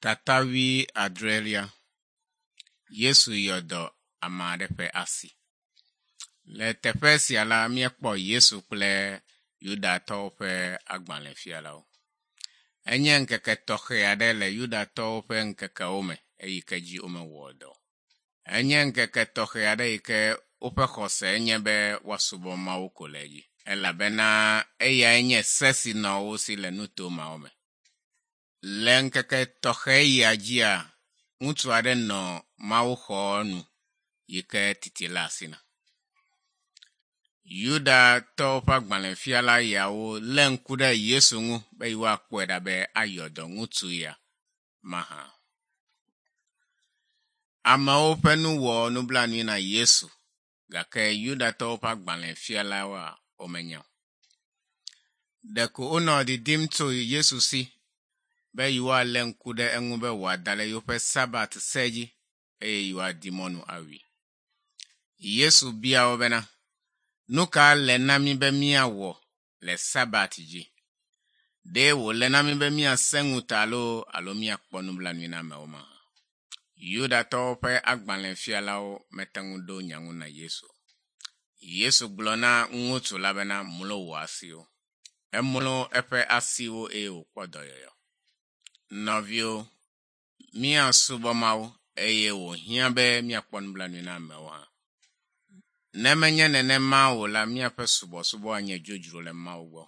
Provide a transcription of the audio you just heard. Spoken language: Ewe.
Tata wuiadrelia. Yesu yɔ dɔ ame aɖe ƒe asi. Le teƒe sia la, míekpɔ Yesu kple Yudatɔwo ƒe agbalẽfialawo. Enye ŋkeke tɔxɛ aɖe le Yudatɔwo ƒe ŋkekewo me eyi ke dzi womewɔ dɔ o. Enye ŋkeke tɔxɛ aɖe yi ke woƒe xɔse nye be woasubɔ Mawu ko le edzi elabena eyae nye se si nɔ wo si le nuto mawo me. Le ŋkeke tɔxɛ ya dzia, ŋutsu aɖe nɔ mawuxɔ nu yi ke titi le asi na. Yudatɔwo ƒe agbalẽfiala yawo lé ŋku ɖe Yesu ŋu be yewoakpɔe ɖa be ayɔ dɔ ŋutsu ya mahã. Amewo ƒe nu wɔ nublanui na Yesu gake Yudatɔwo ƒe agbalẽfialawoa womenya o. Ɖeko wonɔ didim tso Yesu si be yewoalé ŋku ɖe eŋu be wòada ɖe yewoƒe Sabat se dzi eye yewoadi mɔnu awui. Yesu bia wo bena, nu ka le na mí be míawɔ le Sabat dzi? Ɖe wòle na mí be míasẽ ŋuta loo alo míakpɔ nublanui na amewo mahã? Yudatɔwo ƒe agbalẽfialawo mete ŋu ɖo nya ŋu na Yesu o. Yesu gblɔ na ŋutsu la bena mlo wò asiwo. Emlo eƒe asiwo eye wòkpɔ dɔyɔyɔ. Nɔviwo, míasubɔ Mawu eye wòhiã be míakpɔ nublanui na amewo hã. Ne menye nenema o la, míaƒe subɔsubɔ anye dzodzro le Mawu gbɔ.